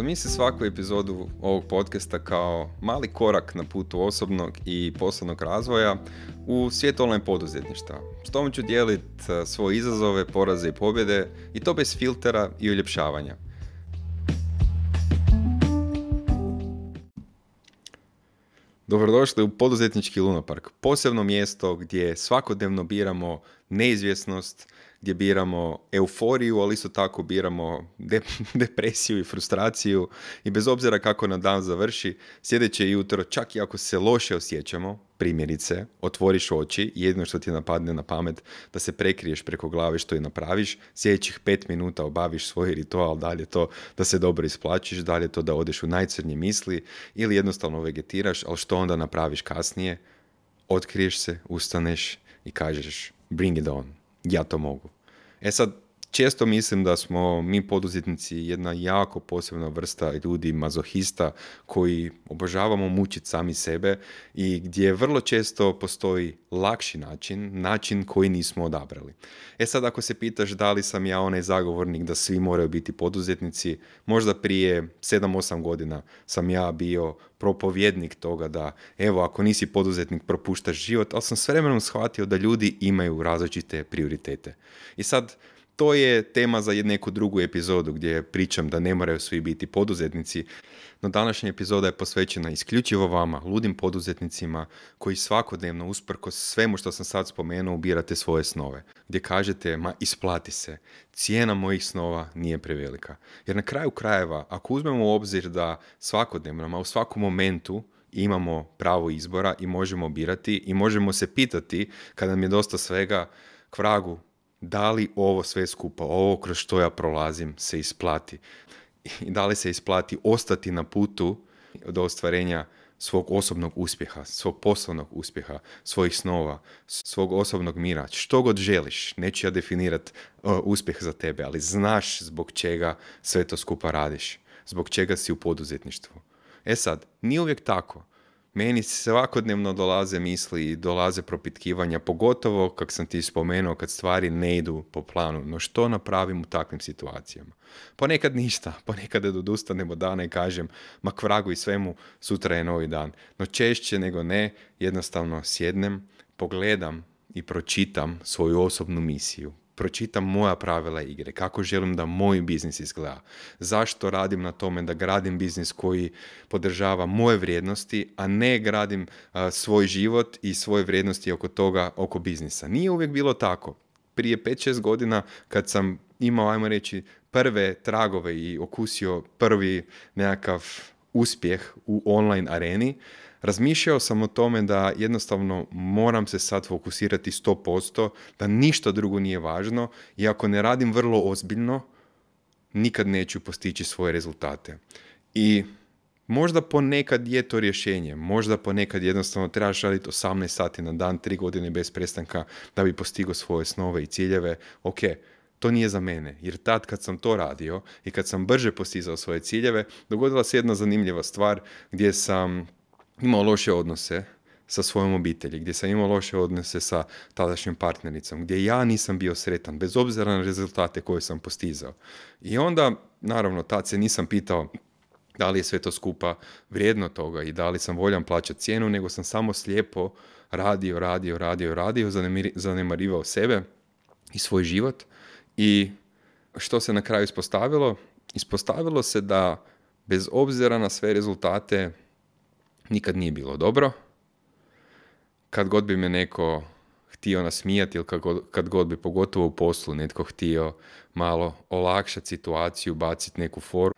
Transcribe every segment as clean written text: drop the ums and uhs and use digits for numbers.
Zamisli svaku epizodu ovog podcasta kao mali korak na putu osobnog i poslovnog razvoja u svijet online poduzetništva. S tom ću dijeliti svoje izazove, poraze i pobjede i to bez filtera i uljepšavanja. Dobrodošli u poduzetnički lunapark, posebno mjesto gdje svakodnevno biramo neizvjesnost, gdje biramo euforiju, ali isto tako biramo depresiju i frustraciju i bez obzira kako nam dan završi, sljedeće jutro, čak i ako se loše osjećamo, primjerice, otvoriš oči i jedino što ti napadne na pamet da se prekriješ preko glave što i napraviš, sljedećih 5 minuta obaviš svoj ritual, da li je to da se dobro isplačiš, da li je to da odeš u najcrnje misli ili jednostavno vegetiraš, ali što onda napraviš kasnije? Otkriješ se, ustaneš i kažeš bring it on. Ja to mogu. Sad, često mislim da smo mi poduzetnici jedna jako posebna vrsta ljudi, mazohista, koji obožavamo mučiti sami sebe i gdje vrlo često postoji lakši način koji nismo odabrali. Sad, ako se pitaš da li sam ja onaj zagovornik da svi moraju biti poduzetnici, možda prije 7-8 godina sam ja bio propovjednik toga da, evo, ako nisi poduzetnik, propuštaš život, ali sam s vremenom shvatio da ljudi imaju različite prioritete. I sad, to je tema za neku drugu epizodu gdje pričam da ne moraju svi biti poduzetnici, no današnja epizoda je posvećena isključivo vama, ludim poduzetnicima koji svakodnevno, usprkos svemu što sam sad spomenuo, ubirate svoje snove. Gdje kažete, ma isplati se, cijena mojih snova nije prevelika. Jer na kraju krajeva, ako uzmemo u obzir da svakodnevno, u svakom momentu imamo pravo izbora i možemo birati i možemo se pitati, kada nam je dosta svega, k vragu, da li ovo sve skupa, ovo kroz što ja prolazim, se isplati? I da li se isplati ostati na putu do ostvarenja svog osobnog uspjeha, svog poslovnog uspjeha, svojih snova, svog osobnog mira, što god želiš. Neću ja definirati uspjeh za tebe, ali znaš zbog čega sve to skupa radiš, zbog čega si u poduzetništvu. Sad, nije uvijek tako. Meni svakodnevno dolaze misli i dolaze propitkivanja, pogotovo, kako sam ti spomenuo, kad stvari ne idu po planu. No što napravim u takvim situacijama? Ponekad ništa, ponekad odustanem od dana i kažem, ma k vragu i svemu, sutra je novi dan. No češće nego ne, jednostavno sjednem, pogledam i pročitam svoju osobnu misiju. Pročitam moja pravila igre, kako želim da moj biznis izgleda, zašto radim na tome da gradim biznis koji podržava moje vrijednosti, a ne gradim svoj život i svoje vrijednosti oko toga, oko biznisa. Nije uvijek bilo tako. Prije 5-6 godina kad sam imao, ajmo reći, prve tragove i okusio prvi nekakav uspjeh u online areni, razmišljao sam o tome da jednostavno moram se sad fokusirati 100%, da ništa drugo nije važno i ako ne radim vrlo ozbiljno, nikad neću postići svoje rezultate. I možda ponekad je to rješenje, možda ponekad jednostavno trebaš raditi 18 sati na dan, 3 godine bez prestanka da bi postigao svoje snove i ciljeve. Ok, to nije za mene, jer tad kad sam to radio i kad sam brže postizao svoje ciljeve, dogodila se jedna zanimljiva stvar gdje sam imao loše odnose sa svojom obitelji, gdje sam imao loše odnose sa tadašnjom partnericom, gdje ja nisam bio sretan, bez obzira na rezultate koje sam postizao. I onda, naravno, tad se nisam pitao da li je sve to skupa vrijedno toga i da li sam voljan plaćati cijenu, nego sam samo slijepo radio, zanemarivao sebe i svoj život. I što se na kraju ispostavilo? Ispostavilo se da bez obzira na sve rezultate nikad nije bilo dobro. Kad god bi me neko htio nasmijati ili kad god bi, pogotovo u poslu, netko htio malo olakšati situaciju, baciti neku foru,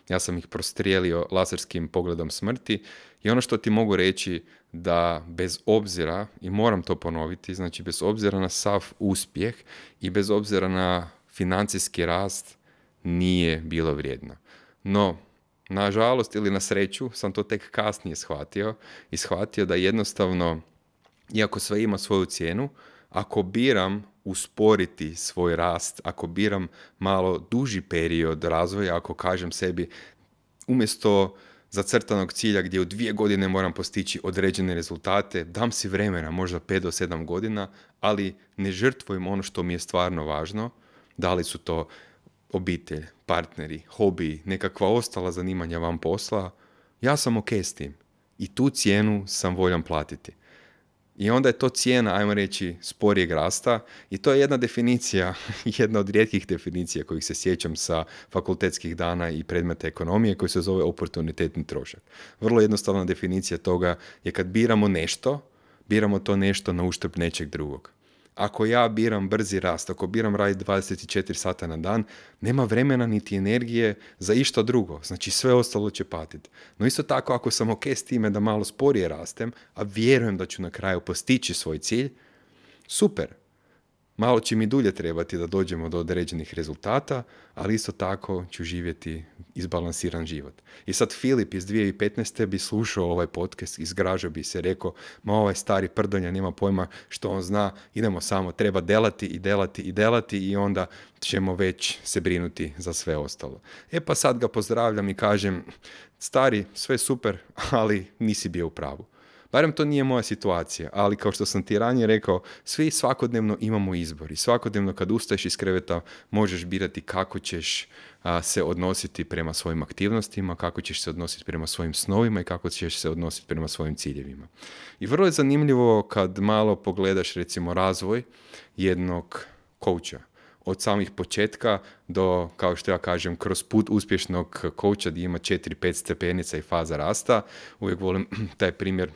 ja sam ih prostrijelio laserskim pogledom smrti i ono što ti mogu reći da bez obzira, i moram to ponoviti, znači bez obzira na sav uspjeh i bez obzira na financijski rast, nije bilo vrijedno. No, nažalost ili na sreću, sam to tek kasnije shvatio da jednostavno, iako sve ima svoju cijenu, ako biram usporiti svoj rast, ako biram malo duži period razvoja, ako kažem sebi, umjesto zacrtanog cilja gdje u 2 godine moram postići određene rezultate, dam si vremena, možda 5 do 7 godina, ali ne žrtvujem ono što mi je stvarno važno, da li su to obitelj, partneri, hobi, nekakva ostala zanimanja van posla, ja sam ok s tim. I tu cijenu sam voljan platiti. I onda je to cijena, ajmo reći, sporijeg rasta i to je jedna definicija, jedna od rijetkih definicija kojih se sjećam sa fakultetskih dana i predmeta ekonomije koji se zove oportunitetni trošak. Vrlo jednostavna definicija toga je kad biramo to nešto na uštrb nečeg drugog. Ako ja biram brzi rast, ako biram raditi 24 sata na dan, nema vremena niti energije za išta drugo. Znači sve ostalo će patiti. No isto tako ako sam ok s time da malo sporije rastem, a vjerujem da ću na kraju postići svoj cilj, super. Malo će mi dulje trebati da dođemo do određenih rezultata, ali isto tako ću živjeti izbalansiran život. I sad Filip iz 2015. bi slušao ovaj podcast, izgražao bi se, rekao, ma ovaj stari prdonja nema pojma što on zna, idemo samo, treba delati i onda ćemo već se brinuti za sve ostalo. E pa sad ga pozdravljam i kažem, stari, sve super, ali nisi bio u pravu. Barem to nije moja situacija, ali kao što sam ti ranije rekao, svi svakodnevno imamo izbor i svakodnevno kad ustaješ iz kreveta možeš birati kako ćeš se odnositi prema svojim aktivnostima, kako ćeš se odnositi prema svojim snovima i kako ćeš se odnositi prema svojim ciljevima. I vrlo je zanimljivo kad malo pogledaš recimo razvoj jednog coacha. Od samih početka do, kao što ja kažem, kroz put uspješnog coacha gdje ima 4-5 stepenica i faza rasta. Uvijek volim taj primjer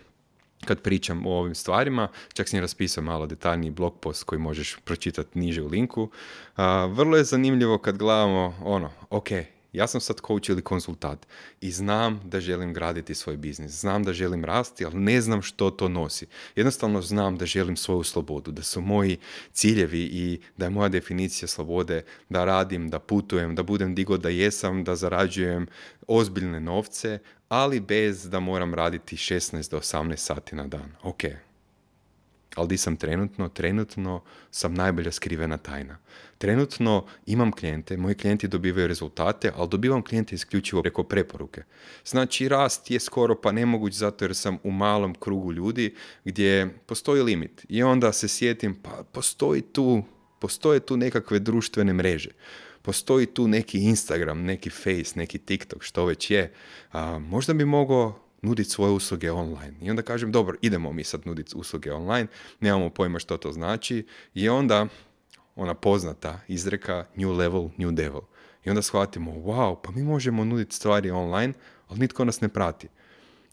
kad pričam o ovim stvarima, čak sam raspisao malo detaljniji blog post koji možeš pročitati niže u linku. Vrlo je zanimljivo kad gledamo ok, ja sam sad coach ili konsultant i znam da želim graditi svoj biznis, znam da želim rasti, ali ne znam što to nosi. Jednostavno znam da želim svoju slobodu, da su moji ciljevi i da je moja definicija slobode da radim, da putujem, da budem di god da jesam, da zarađujem ozbiljne novce, ali bez da moram raditi 16 do 18 sati na dan. Ok. Ali di sam trenutno? Trenutno sam najbolja skrivena tajna. Trenutno imam klijente, moji klijenti dobivaju rezultate, ali dobivam klijente isključivo preko preporuke. Znači rast je skoro pa nemoguć zato jer sam u malom krugu ljudi gdje postoji limit. I onda se sjetim, pa postoje tu nekakve društvene mreže. Postoji tu neki Instagram, neki Face, neki TikTok, što već je. Možda bi mogao nuditi svoje usluge online. I onda kažem, dobro, idemo mi sad nuditi usluge online, nemamo pojma što to znači. I onda ona poznata izreka new level, new devil. I onda shvatimo, wow, pa mi možemo nuditi stvari online, ali nitko nas ne prati.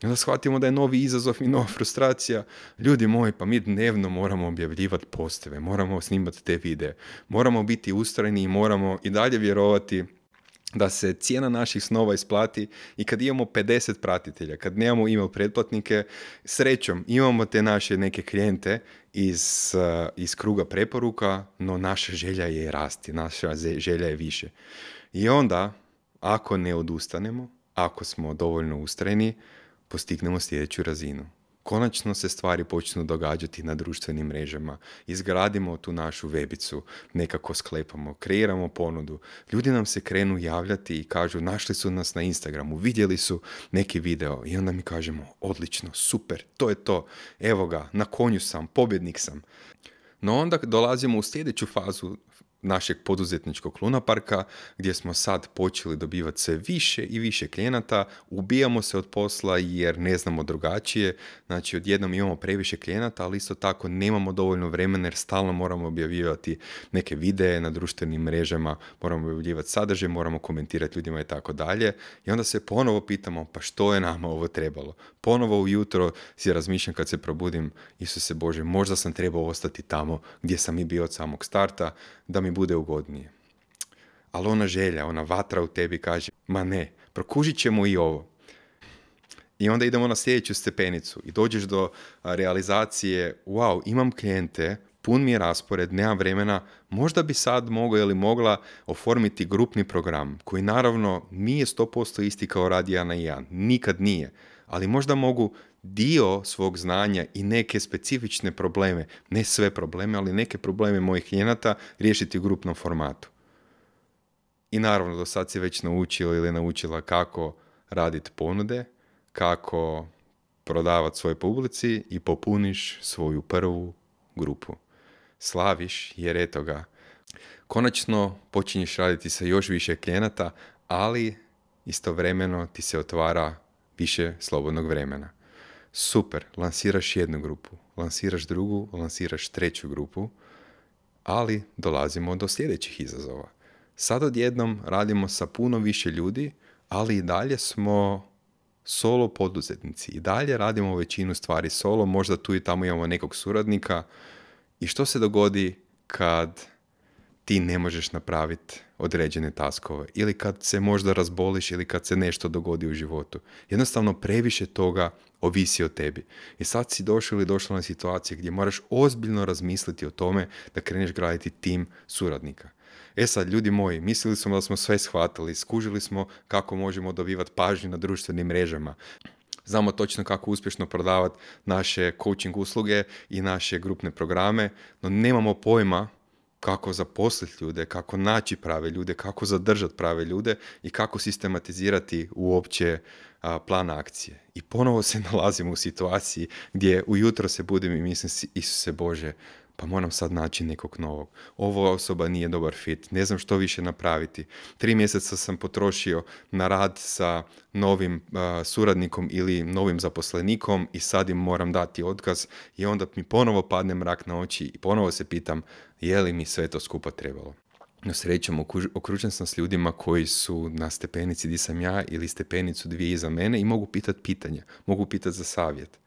I onda shvatimo da je novi izazov i nova frustracija. Ljudi moji, pa mi dnevno moramo objavljivati posteve, moramo snimati te videe, moramo biti ustrajni i moramo i dalje vjerovati da se cijena naših snova isplati i kad imamo 50 pratitelja, kad nemamo email pretplatnike, srećom imamo te naše neke klijente iz kruga preporuka, no naša želja je rasti, naša želja je više. I onda, ako ne odustanemo, ako smo dovoljno ustrajni, postignemo sljedeću razinu. Konačno se stvari počnu događati na društvenim mrežama. Izgradimo tu našu webicu, nekako sklepamo, kreiramo ponudu. Ljudi nam se krenu javljati i kažu našli su nas na Instagramu, vidjeli su neki video i onda mi kažemo odlično, super, to je to, evo ga, na konju sam, pobjednik sam. No onda dolazimo u sljedeću fazu našeg poduzetničkog lunaparka gdje smo sad počeli dobivati sve više i više klijenata, ubijamo se od posla jer ne znamo drugačije, znači odjednom imamo previše klijenata, ali isto tako nemamo dovoljno vremena jer stalno moramo objavljivati neke videe na društvenim mrežama, moramo objavljivati sadržaj, moramo komentirati ljudima i tako dalje i onda se ponovo pitamo pa što je nama ovo trebalo. Ponovo ujutro si razmišljam kad se probudim, Isuse Bože, možda sam trebao ostati tamo gdje sam i bio od samog starta, da mi bude ugodnije. Ali ona želja, ona vatra u tebi kaže, ma ne, prokužit ćemo i ovo. I onda idemo na sljedeću stepenicu i dođeš do realizacije, wow, imam klijente, pun mi je raspored, nemam vremena, možda bi sad mogao ili mogla oformiti grupni program, koji naravno nije 100% isti kao rad 1 na 1, nikad nije, ali možda mogu dio svog znanja i neke specifične probleme, ne sve probleme, ali neke probleme mojih klijenata riješiti u grupnom formatu. I naravno, do sad si već naučio ili naučila kako raditi ponude, kako prodavati svojoj publici i popuniš svoju prvu grupu. Slaviš jer eto ga, Konačno počinješ raditi sa još više klijenata, ali istovremeno ti se otvara više slobodnog vremena. Super, lansiraš jednu grupu, lansiraš drugu, lansiraš treću grupu, ali dolazimo do sljedećih izazova. Sad odjednom radimo sa puno više ljudi, ali i dalje smo solo poduzetnici. I dalje radimo većinu stvari solo, možda tu i tamo imamo nekog suradnika. I što se dogodi kad ti ne možeš napraviti određene taskove ili kad se možda razboliš ili kad se nešto dogodi u životu? Jednostavno previše toga ovisi o tebi. I sad si došao ili došla na situacije gdje moraš ozbiljno razmisliti o tome da kreneš graditi tim suradnika. Sad, ljudi moji, mislili smo da smo sve shvatili, skužili smo kako možemo dobivati pažnju na društvenim mrežama. Znamo točno kako uspješno prodavati naše coaching usluge i naše grupne programe, no nemamo pojma kako zaposliti ljude, kako naći prave ljude, kako zadržati prave ljude i kako sistematizirati uopće plan akcije. I ponovo se nalazimo u situaciji gdje ujutro se budim i mislim, Isuse Bože, pa moram sad naći nekog novog. Ova osoba nije dobar fit, ne znam što više napraviti. 3 mjeseca sam potrošio na rad sa novim suradnikom ili novim zaposlenikom i sad im moram dati otkaz i onda mi ponovo padne mrak na oči i ponovo se pitam je li mi sve to skupa trebalo. No srećom, okružen sam s ljudima koji su na stepenici gdje sam ja ili stepenicu 2 iza mene i mogu pitati pitanja, mogu pitati za savjet.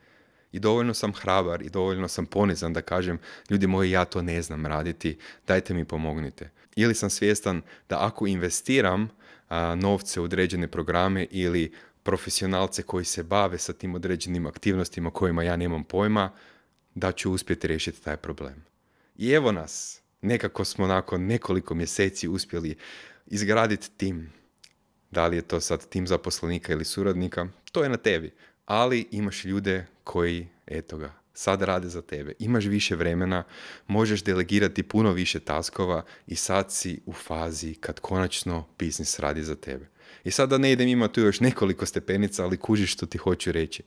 I dovoljno sam hrabar i dovoljno sam ponizan da kažem, ljudi moji, ja to ne znam raditi, dajte mi pomognite. Ili sam svjestan da ako investiram novce u određene programe ili profesionalce koji se bave sa tim određenim aktivnostima kojima ja nemam pojma, da ću uspjeti riješiti taj problem. I evo nas, nekako smo nakon nekoliko mjeseci uspjeli izgraditi tim. Da li je to sad tim zaposlenika ili suradnika, to je na tebi. Ali imaš ljude koji, eto ga, sad rade za tebe. Imaš više vremena, možeš delegirati puno više taskova i sad si u fazi kad konačno biznis radi za tebe. I sad da ne idem, ima tu još nekoliko stepenica, ali kužiš što ti hoću reći.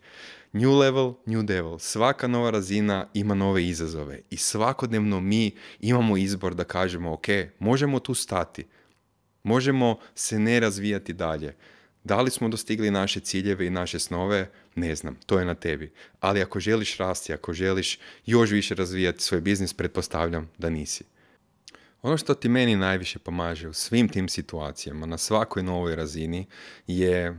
New level, new devil. Svaka nova razina ima nove izazove i svakodnevno mi imamo izbor da kažemo ok, možemo tu stati, možemo se ne razvijati dalje. Da li smo dostigli naše ciljeve i naše snove? Ne znam, to je na tebi. Ali ako želiš rasti, ako želiš još više razvijati svoj biznis, pretpostavljam da nisi. Ono što ti meni najviše pomaže u svim tim situacijama, na svakoj novoj razini, je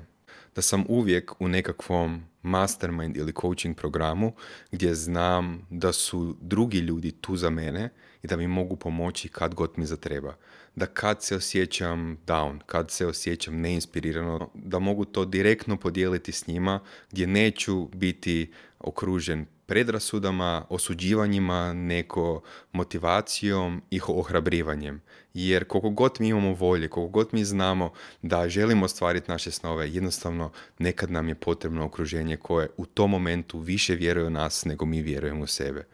da sam uvijek u nekakvom mastermind ili coaching programu gdje znam da su drugi ljudi tu za mene i da mi mogu pomoći kad god mi zatreba. Da kad se osjećam down, kad se osjećam neinspirirano, da mogu to direktno podijeliti s njima gdje neću biti okružen predrasudama, osuđivanjima, neko motivacijom i ohrabrivanjem. Jer koliko god mi imamo volje, koliko god mi znamo da želimo ostvariti naše snove, jednostavno nekad nam je potrebno okruženje koje u tom momentu više vjeruje u nas nego mi vjerujemo u sebe.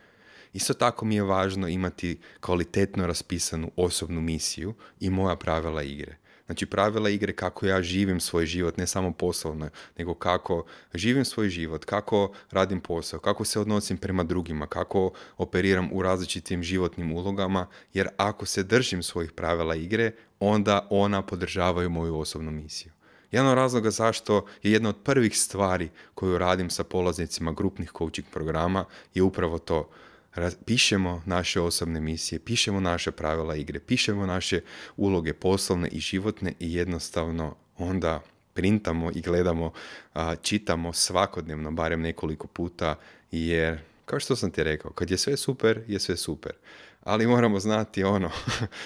Isto tako mi je važno imati kvalitetno raspisanu osobnu misiju i moja pravila igre. Znači pravila igre kako ja živim svoj život, ne samo poslovno, nego kako živim svoj život, kako radim posao, kako se odnosim prema drugima, kako operiram u različitim životnim ulogama, jer ako se držim svojih pravila igre, onda ona podržavaju moju osobnu misiju. Jedan od razloga zašto je jedna od prvih stvari koju radim sa polaznicima grupnih coaching programa je upravo to. Pišemo naše osobne misije, pišemo naše pravila igre, pišemo naše uloge poslovne i životne i jednostavno onda printamo i gledamo, čitamo svakodnevno, barem nekoliko puta, jer kao što sam ti rekao, kad je sve super, je sve super. Ali moramo znati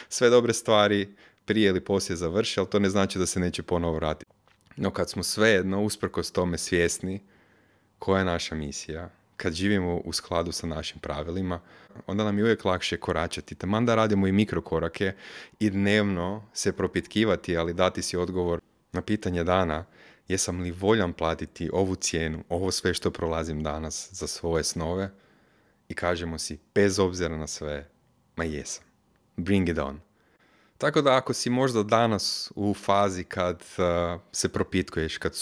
sve dobre stvari prije ili poslije završe, ali to ne znači da se neće ponovo vratiti. No kad smo svejedno, usprkos tome svjesni koja je naša misija, kad živimo u skladu sa našim pravilima, onda nam je uvijek lakše koračati. Taman da radimo i mikrokorake i dnevno se propitkivati, ali dati si odgovor na pitanje dana, jesam li voljan platiti ovu cijenu, ovo sve što prolazim danas za svoje snove, i kažemo si, bez obzira na sve, ma jesam. Bring it on. Tako da ako si možda danas u fazi kad se propitkuješ, kad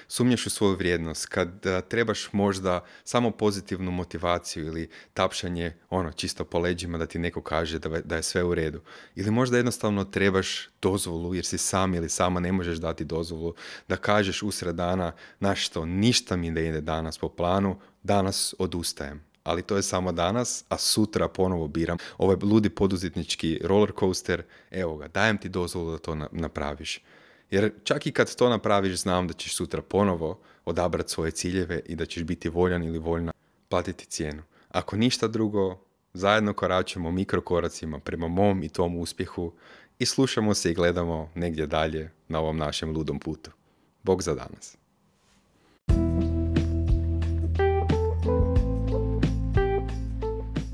sumnjaš u svoju vrijednost, kad trebaš možda samo pozitivnu motivaciju ili tapšanje čisto po leđima da ti neko kaže da je sve u redu. Ili možda jednostavno trebaš dozvolu jer si sam ili sama ne možeš dati dozvolu da kažeš usred dana, znaš što, ništa mi ne ide danas po planu, danas odustajem. Ali to je samo danas, a sutra ponovo biram ovaj ludi poduzetnički roller coaster, evo ga, dajem ti dozvolu da to napraviš. Jer čak i kad to napraviš, znam da ćeš sutra ponovo odabrati svoje ciljeve i da ćeš biti voljan ili voljna platiti cijenu. Ako ništa drugo, zajedno koračamo mikrokoracima prema mom i tom uspjehu i slušamo se i gledamo negdje dalje na ovom našem ludom putu. Bog za danas.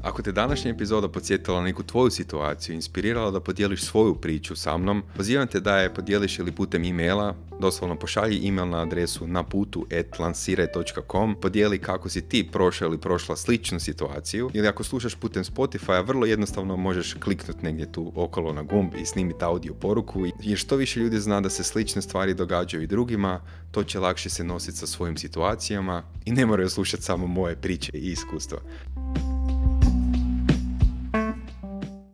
Ako te današnja epizoda podsjetila na neku tvoju situaciju, inspirirala da podijeliš svoju priču sa mnom, pozivam te da je podijeliš ili putem e-maila, doslovno pošalji e-mail na adresu naputu@lansiraj.com, podijeli kako si ti prošao ili prošla sličnu situaciju, ili ako slušaš putem Spotify, vrlo jednostavno možeš kliknuti negdje tu okolo na gumb i snimiti audio poruku, jer što više ljudi zna da se slične stvari događaju i drugima, to će lakše se nositi sa svojim situacijama i ne moraju slušati samo moje priče i iskustva.